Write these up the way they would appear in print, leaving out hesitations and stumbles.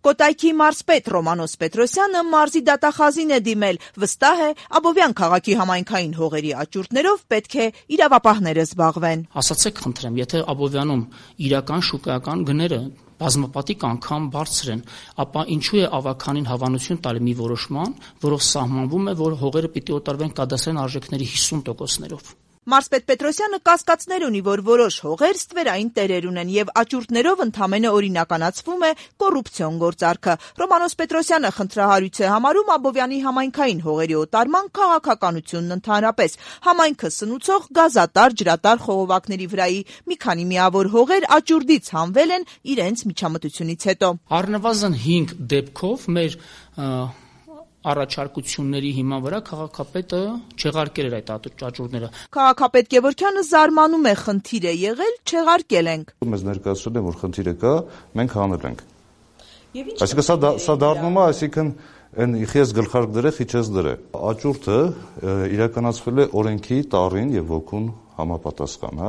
Կոտայքի մարզպետ Ռոմանոս Պետրոսյանը մարզի դատախազին է դիմել, վստահ է, Աբովյան քաղաքի համայնքային հողերի աճուրդներով պետք է իրավապահները զբաղվեն։ Ասացեք խնդրեմ, եթե Աբովյանում իրական շուկայական գները բազմապատիկ անգամ բարձր են, ապա ինչու է ավականին հավանություն տալի մի որոշման, որով սահմանվում է, որ հողերը պիտի օտարվեն կադաստրային արժեքների 50%-ներով։ Մարզպետ Պետրոսյանը կասկածներ ունի, որ որոշ հողեր ստվերային տերեր ունեն եւ աճուրդներով ընդամենը օրինականացվում է կոռուպցիոն գործարքը։ Ռոմանոս Պետրոսյանը խնդրահարույց է համարում Աբովյանի համայնքային հողերի օտարման քաղաքականությունն ընդհանրապես։ Համայնքը սնուցող գազատար, ջրատար խողովակների վրայի մի քանի միավոր հողեր աճուրդից հանվել են իրենց միջամտությունից հետո։ Առնվազն 5 դեպքով մեր առաջարկությունների հիման վրա քաղաքապետը չեղարկել էր այդ աճուրդները։ Քաղաքապետ Գևորգյանը զարմանում է, խնդիր է եղել, չեղարկել ենք։ Մեզ ներկայացրել են, որ խնդիրը կա, մենք հանել ենք։ Այսինքն սա դառնում է, այսինքն այն իխես գլխարկ դրե, խիչես դրե։ Աճուրդը իրականացվել է օրենքի տառին եւ ոգուն համապատասխան,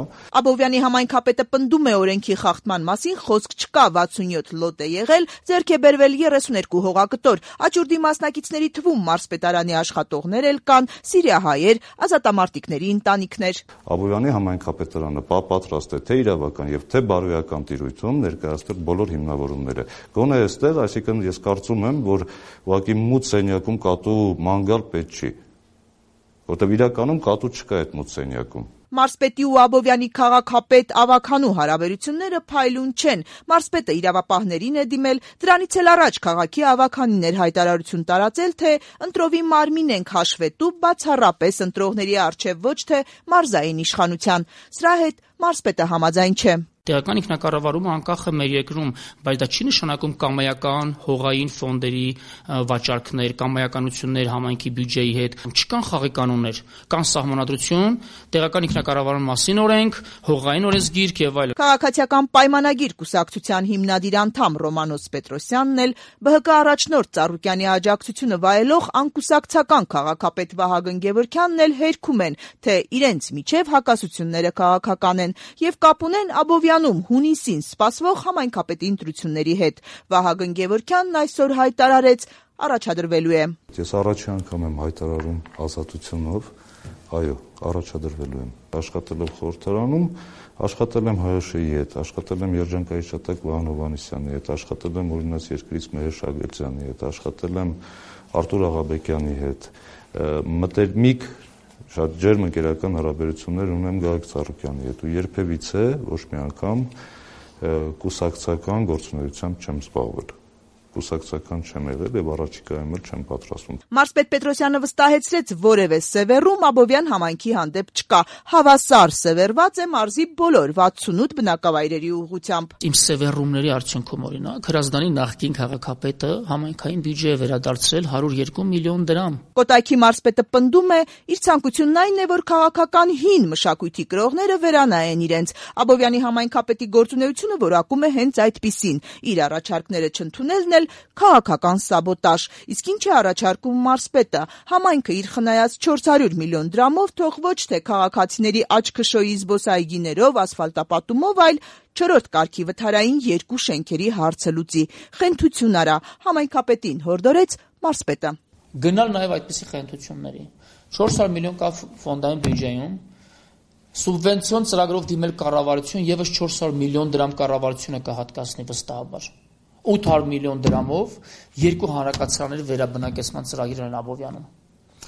Աբովյանի համայնքապետը պնդում է օրենքի խախտման մասին խոսք չկա, 67 լոտ է եղել, ձեռք է բերվել 32 հողակտոր, աճուրդի մասնակիցների թվում մարզպետարանի աշխատողներ էլ կան, սիրիահայեր, ազատամարտիկների ընտանիքներ։ Աբովյանի համայնքապետարանը պատրաստ է թե իրավական եւ թե բարոյական տիրույթում ներկայացնել բոլոր հիմնավորումները։ Գոնե այստեղ, այսինքն ես կարծում եմ, որ ուղղակի մութ սենյակում կատու մանգալ պետք չի, որտեղ իրականում կատու չկա այդ մութ սենյակում։ Մարզպետի ու Աբովյանի քաղաքապետ ավականու հարաբերությունները փայլուն չեն։ Մարզպետը իրավապահներին է դիմել, դրանից էլ առաջ քաղաքի ավականին էր հայտարարություն տարածել, թե ընտրովի մարմին ենք հաշվետու բացառապես ընտրողների առջև, ոչ թե մարզային իշխանության։ Սրա հետ մարզպետը համաձայն չէ։ Տեղական ինքնակառավարումը անկախ է մեր երկրում, բայց դա չի նշանակում կամայական հողային ֆոնդերի վաճառքներ, կամայականություններ համայնքի բյուջեի հետ։ Չկան խաղի կանոններ, կան սահմանադրություն, տեղական ինքնակառավարման մասին օրենք, հողային օրենսգիրք եւ այլն։ Քաղաքացիական պայմանագիր կուսակցության հիմնադիր անդամ Ռոմանոս Պետրոսյանն էլ ԲՀԿ առաջնորդ Ծառուկյանի աջակցությունը վայելող անկուսակցական քաղաքապետ Վահագն Գևորգյանն էլ հերքում են, թե իրենց միջև հակասությունները քաղաքական են եւ կապ ունեն Աբովյանում հունիսին սպասվող համայնքապետի ընտրությունների հետ։ Վահագն Գևորգյանն այսօր հայտարարեց, առաջադրվելու է։ Ես առաջի անգամ եմ հայտարարում ազատությունով, այո, առաջադրվելու եմ։ Աշխատելով խորհրդարանում, աշխատել եմ ՀՀՇ-ի հետ, աշխատել եմ երջանկայի շտակ Վահան Հովհաննիսյանի հետ, աշխատել եմ օրինաց երկրից Մհեր Շագերտյանի հետ, աշխատել եմ Արտուր Աղաբեկյանի հետ, մտերմիկ շատ ջերմ ընկերական հարաբերություններ ունեմ Գագիկ Ծառուկյանի հետ ու երբևիցե ոչ մի անգամ կուսակցական գործունեությամբ չեմ զբաղվել։ Կուսակցական չեմ եղել եւ առաջիկայում էլ չեմ պատրաստվում։ Մարզպետ Պետրոսյանը վստահեցրեց, որևէ սևեռում Աբովյան համայնքի հանդեպ չկա։ Հավասար սևեռված է մարզի բոլոր 68 բնակավայրերի ուղղությամբ։ Իմ սևեռումների արդյունքում օրինակ Հրազդանի նախկին քաղաքապետը համայնքային բյուջե է վերադարձրել 102 միլիոն դրամ։ Կոտայքի մարզպետը պնդում է, իր ցանկությունն այն է, որ քաղաքական հին մշակույթի կրողները վերանայեն իրենց։ Աբովյանի համայնքապետի գործունեությունը որակում է հենց այդպիսին։ Իր առաջարկները չընդունելն քաղաքական սաբոտաժ, իսկ ինչ է առաջարկում մարզպետը, համայնքը իր խնայած 400 միլիոն դրամով թող ոչ թե քաղաքացիների աչքշոյի զբոսայգիներով, ասֆալտապատումով, այլ չորրորդ կարգի վթարային 2 շենքերի հարցը լուծի։ Խենթություն արա, համայնքապետին հորդորեց մարզպետը։ Գնալ նաև այդպիսի խենթությունների։ 400 միլիոն կա ֆոնդային բյուջեում, սուբվենցիոն ծրագրով դիմել կառավարություն եւս 400 միլիոն դրամ կառավարությունը կհատկացնի վստահաբար։ 800 միլիոն դրամով 2 հանրակացարանների վերաբնակեցման ծրագիր են Աբովյանում։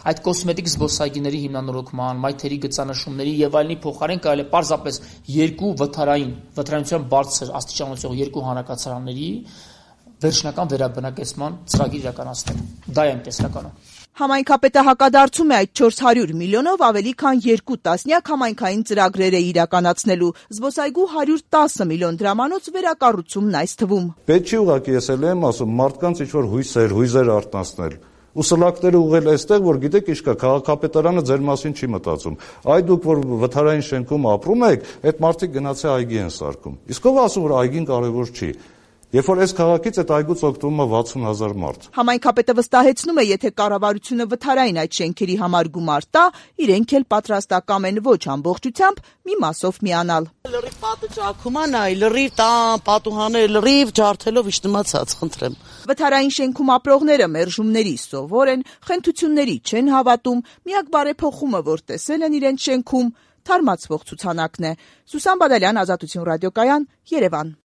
Այդ կոսմետիկ զբոսայգիների հիմնանորոգման, մայթերի գծանշումների եւ այլնի փոխարեն կարելի է պարզապես 2 վթարանության բարձր աստիճանացող 2 հանրակացարանների վերջնական վերաբնակեցման ծրագիր իրականացնել։ Դա է տեսլականը։ Համայնքապետը հակադարձում է այդ 400 միլիոնով ավելի քան 2 տասնյակ համայնքային ծրագրեր է իրականացնելու։ Զբոսայգու 110 միլիոն դրամանոց վերակառուցումն այս թվում։ Պետք չի ուղղակի ես էլ եմ ասում մարդկանց ինչ-որ հույզեր արտնասնել։ Ու սլակները ուղղել այստեղ, որ գիտեք ինչ կա, քաղաքապետարանը ձեր մասին չի մտածում։ Այ դուք որ վթարային շենքում ապրում եք, այդ մարդիկ գնացե այգի են սարքում։ Իսկ ով ասում որ այգին կարևոր չի։ Երբ որ այս քաղաքից այդ այգուց օգտվում է 60,000 մարդ։ Համայնքապետը վստահեցնում է, եթե կառավարությունը վթարային այդ շենքերի համար գումար տա, իրենք էլ պատրաստակամ են ոչ ամբողջությամբ մի մասով միանալ։ Լրիվ պատը ճաքում է, նայ, լրիվ տան, պատուհաները լրիվ ջարդելով իշտմացած, խնդրեմ։ Վթարային շենքում ապրողները մերժումների սովոր են, խենթությունների չեն հավատում, միակ բարեփոխումը, որ տեսել են իրենց շենքում, թարմացվող ցուցանակն է։ Սուսան Բադալյան, Ազատություն ռադիոկայան, Երևան։